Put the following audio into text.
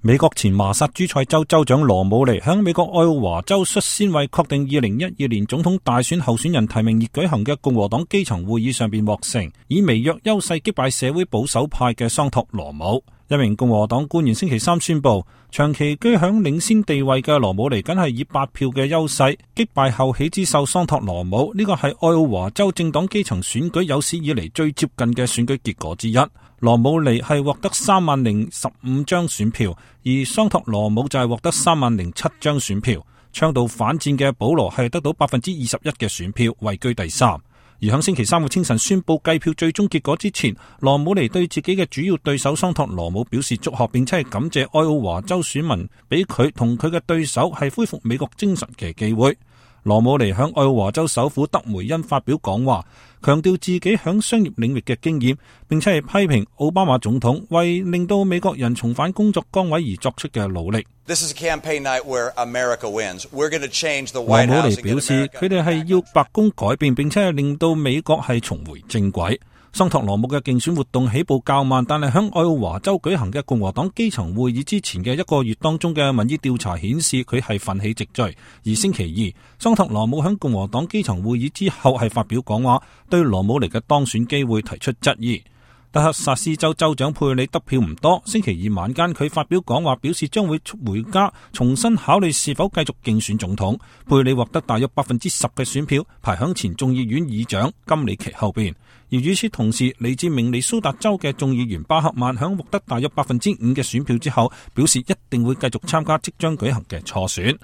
美國前麻薩諸塞州州長羅姆尼響美國愛奧華州率先為確定2012年總統大選候選人提名而舉行嘅共和黨基層會議上邊獲勝，以微弱優勢擊敗社會保守派嘅桑托羅姆。一名共和黨官員星期三宣布，長期居響領先地位嘅羅姆尼僅係以8票嘅優勢擊敗後起之秀桑托羅姆，呢個係愛奧華州政黨基層選舉有史以嚟最接近嘅選舉結果之一。羅姆尼係獲得30,015張選票，而桑托羅姆就係獲得30,007張選票。倡導反戰嘅保羅係得到21%嘅選票，位居第3。而喺星期三嘅清晨宣布計票最終結果之前，羅姆尼對自己嘅主要對手桑托羅姆表示祝賀，並且係感謝愛奧華州選民俾佢同佢嘅對手係恢復美國精神嘅機會。羅姆尼響愛奧華州首府德梅恩發表講話，強調自己響商業領域嘅經驗，並且係批評奧巴馬總統為令到美國人重返工作崗位而作出嘅努力。羅姆尼表示，佢哋係要白宮改變，並且係令到美國係重回正軌。桑托羅姆嘅競選活動起步較慢，但係響愛奧華州舉行嘅共和黨基層會議之前嘅1個月當中嘅民意調查顯示佢係奮起直追。而星期二，桑托羅姆響共和黨基層會議之後係發表講話，對羅姆尼嘅當選機會提出質疑。德克薩斯州州長佩里得票唔多，星期二晚間佢發表講話，表示將會回家重新考慮是否繼續競選總統。佩里獲得大約10%嘅選票，排響前眾議院議長金里奇後邊。而與此同時，嚟自明尼蘇達州嘅眾議員巴克曼響獲得大約5%嘅選票之後，表示一定會繼續參加即將舉行嘅初選。